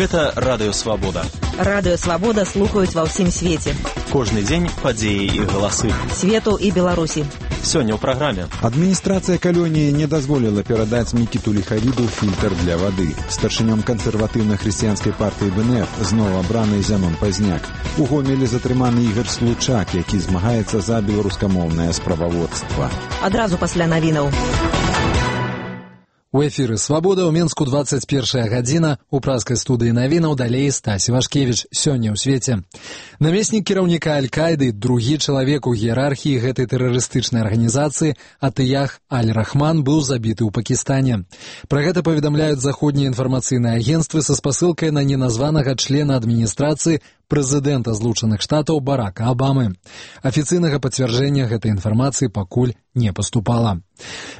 Гэта Радыё Свабода. Радыё Свабода слухаюць ва ўсім свеце. Кожны дзень падзеі і галасы Свету і Беларусі. Сёння ў праграме. Адміністрацыя калоніі не дазволіла перадаць Мікіту Ліхавіду фільтр для вады. Старшынём кансерватыўна-хрысціянскай партыі БНФ зноў абраны Зянон Пазняк. У Гомелі затрыманы Ігар Случак, які змагаецца за беларускамоўнае справаводства. Адразу пасля навінаў. У эфіры «Свабода» ў Менску 21 гадзіна. У празкай студыі навінаў далей Стась Івашкевіч. Сёння ў свеце. Намеснік кіраўніка Аль-Каіды, другі чалавек у іерархіі гэтай тэрарыстычнай арганізацыі, Атыях Аль-Рахман, быў забіты ў Пакістане. Пра гэта паведамляюць заходнія інфармацыйныя агенцтвы са спасылкай на неназванага члена адміністрацыі прэзідэнта Злучаных Штатаў Барака Абамы. Афіцыйнага пацвярджэння гэтай інфармацыі пакуль не паступала.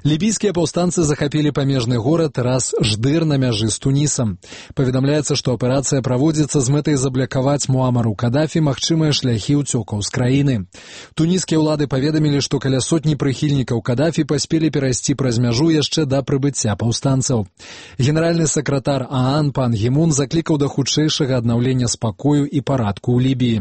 Лібійскія паўстанцы захапілі памежны горад Рас-Ждыр на мяжы з Тунісам. Паведамляецца, што аперацыя праводзіцца з мэтай заблакаваць Муамару Кадафі магчымыя шляхі ўцёкаў з краіны. Туніскія ўлады паведамілі, што каля сотні прыхільнікаў Кадафі паспелі перайсці праз мяжу яшчэ да прыбыцця паўстанцаў. Генеральны сакратар ААН пан Гімун заклікаў да хутчэйшага аднаўлення спакою і парадку ў Лібіі.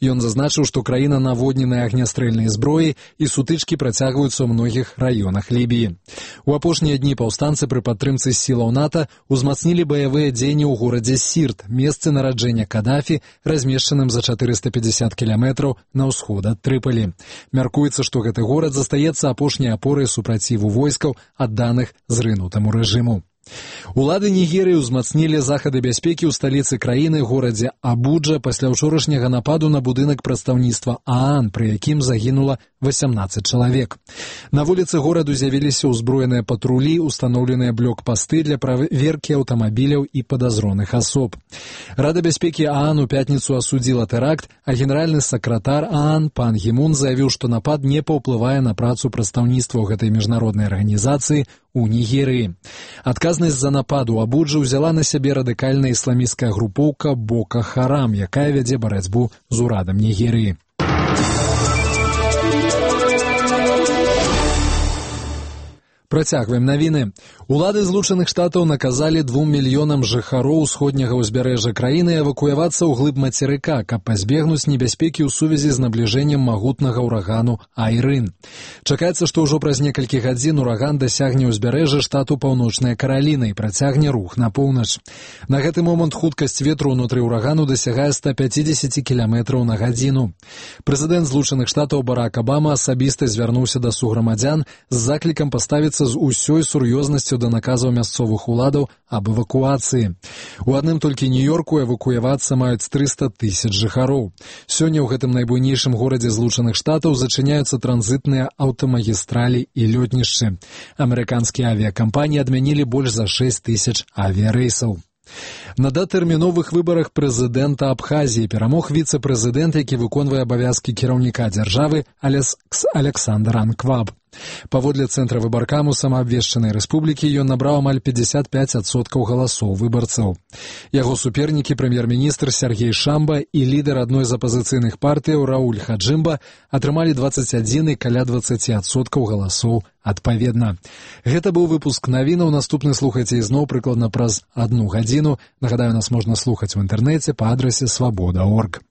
Ён зазначыў, што краіна наводненая агнястрэльнай зброяй і сутычкі працягваюцца ў многіх раёнах Лібіі. У апошнія дні паўстанцы пры падтрымцы сілаў НАТО узмацнілі баявыя дзеянні ў горадзе Сірт, месцы нараджэння Кадафі, размешчаным за 450 кіламетраў на ўсход ад Трыпалі. Мяркуецца, што гэты горад застаецца апошняй апорай супраціву войскаў, адданых зрынутаму рэжыму. Улады Нігерыі ўзмацнілі захады бяспекі ў сталіцы краіны, горадзе Абуджа, пасля ўчорашняга нападу на будынак прадстаўніцтва ААН, пры якім загінула 18 чалавек. На вуліцы гораду з'явіліся ўзброеныя патрулі, устаноўленыя блокпасты для праверкі аўтамабіляў і падазроных асоб. Рада бяспекі ААН у пятніцу асудзіла тэракт, а генеральны сакратар ААН пан Гімун заявіў, што напад не паўплывае на працу прадстаўніцтва гэтай міжнароднай арганізацыі у Нігерыі. Адказнасць за напад у Абуджы ўзяла на сябе радыкальная ісламісцкая групоўка Бока Харам, якая вядзе барацьбу з урадам Нігерыі. Працягваем навіны. Улады Злучаных Штатаў наказалі 2 мільёнам жыхароў усходняга ўзбярэжжа краіны эвакуявацца ў глыб мацерыка, каб пазбегнуць небяспекі ў сувязі з набліжэннем магутнага ўрагану Айрын. Чакаецца, што ўжо праз некалькі гадзін ураган дасягне ўзбярэжжа штату Паўночная Караліна і працягне рух на поўнач. На гэты момант хуткасць ветру ўнутры ўрагану дасягае 150 км на гадзіну. Прэзідэнт Злучаных Штатаў Барак Абама асабіста звярнуўся да суграмадзян з заклікам паставіцца з усёй сур'ёзнасцю да наказаў мясцовых уладаў аб эвакуацыі. У адным толькі Нью-Йорку эвакуявацца маюць 300 000 жыхароў. Сёння ў гэтым найбуйнейшым горадзе Злучаных Штатаў зачыняюцца транзітныя аўтамагістралі і лётнішчы. Амерыканскія авіякампаніі адмянілі больш за 6 000 авіярэйсаў. На датэрміновых выбарах прэзідэнта Абхазіі перамог віцэ-прэзідэнт, які выконвае абавязкі кіраўніка дзяржавы Александр Анкваб. Паводле цэнтра выбаркаму самаабвешчанай рэспублікі ён набраў амаль 55% галасоў выбарцаў. Яго супернікі прэм'ер-міністр Сергей Шамба і лідар адной з апазіцыйных партыяў Рауль Хаджымба атрымалі 21 і каля 20% галасоў адпаведна. Гэта быў выпуск навінаў. Наступны слухайце ізноў прыкладна праз 1 гадзіну. Нагадаю, нас можна слухаць у інтэрнэце па адрасе свабода.орг.